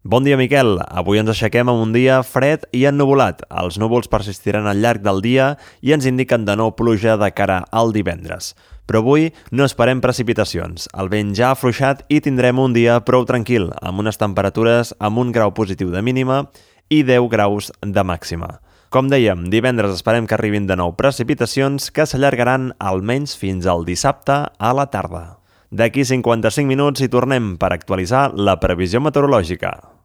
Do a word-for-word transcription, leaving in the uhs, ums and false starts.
Bon dia, Miquel. Avui ens aixequem amb un dia fred i ennuvolat. Els núvols persistiran al llarg del dia i ens indiquen de nou pluja de cara al divendres. Però avui no esperem precipitacions. El vent ja ha afluixat i tindrem un dia prou tranquil, amb unes temperatures amb un grau positiu de mínima i deu graus de màxima. Com dèiem, divendres esperem que arribin de nou precipitacions que s'allargaran almenys fins al dissabte a la tarda. D'aquí cinquanta-cinc minuts hi tornem per actualitzar la previsió meteorològica.